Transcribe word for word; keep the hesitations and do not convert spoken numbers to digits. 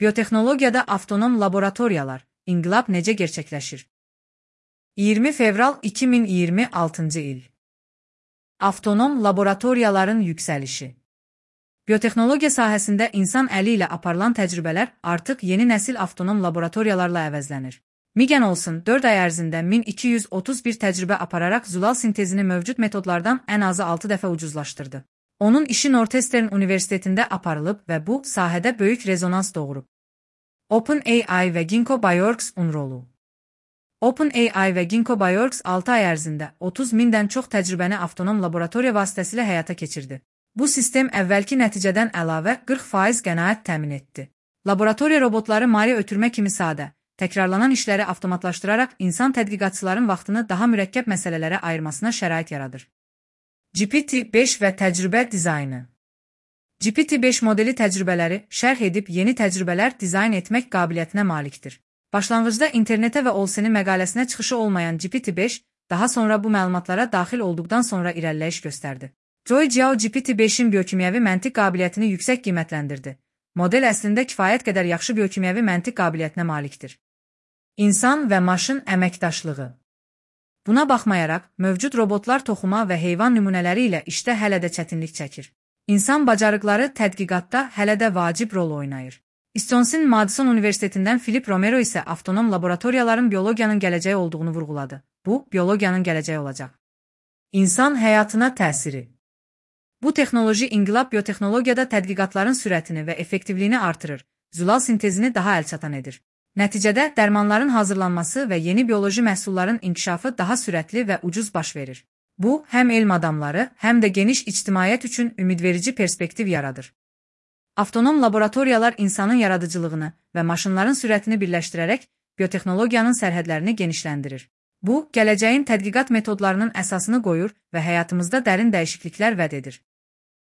Biotexnologiyada avtonom laboratoriyalar, inqilab necə gerçəkləşir? iyirmi fevral iki min iyirmi altıncı il. Avtonom laboratoriyaların yüksəlişi. Biotexnologiya sahəsində insan əli ilə aparılan təcrübələr artıq yeni nəsil avtonom laboratoriyalarla əvəzlənir. Migen olsun dörd ay ərzində min iki yüz otuz bir təcrübə apararaq zulal sintezini mövcud metodlardan ən azı altı dəfə ucuzlaşdırdı. Onun işi Northwestern Universitetində aparılıb və bu sahədə böyük rezonans doğurub. OpenAI və Ginkgo Bioworks-un rolu. OpenAI və Ginkgo Bioworks altı ay ərzində otuz mindən çox təcrübəni avtonom laboratoriya vasitəsilə həyata keçirdi. Bu sistem əvvəlki nəticədən əlavə qırx faiz qənaət təmin etdi. Laboratoriya robotları mali ötürmə kimi sadə, təkrarlanan işləri avtomatlaşdıraraq insan tədqiqatçıların vaxtını daha mürəkkəb məsələlərə ayırmasına şərait yaradır. G P T beş və təcrübə dizaynı. G P T beş modeli təcrübələri şərh edib yeni təcrübələr dizayn etmək qabiliyyətinə malikdir. Başlanğıcda internetə və Olsen'in məqaləsinə çıxışı olmayan G P T beş, daha sonra bu məlumatlara daxil olduqdan sonra irəliləyiş göstərdi. Joy Zhao G P T beşin biokimyəvi məntiq qabiliyyətini yüksək qiymətləndirdi. Model əslində kifayət qədər yaxşı biokimyəvi məntiq qabiliyyətinə malikdir. İnsan və maşın əməkdaşlığı. Buna baxmayaraq, mövcud robotlar toxuma və heyvan nümunələri ilə işdə hələ də çətinlik çəkir. İnsan bacarıqları tədqiqatda hələ də vacib rol oynayır. Wisconsin-Madison Universitetindən Philip Romero isə avtonom laboratoriyaların biologiyanın gələcəyi olduğunu vurğuladı. Bu, biologiyanın gələcəyi olacaq. İnsan həyatına təsiri. Bu texnoloji inqilab biotexnologiyada tədqiqatların sürətini və effektivliyini artırır, zulal sintezini daha əlçatan edir. Nəticədə dərmanların hazırlanması və yeni bioloji məhsulların inkişafı daha sürətli və ucuz baş verir. Bu, həm elm adamları, həm də geniş ictimaiyyət üçün ümidverici perspektiv yaradır. Avtonom laboratoriyalar insanın yaradıcılığını və maşınların sürətini birləşdirərək biotexnologiyanın sərhədlərini genişləndirir. Bu, gələcəyin tədqiqat metodlarının əsasını qoyur və həyatımızda dərin dəyişikliklər vəd edir.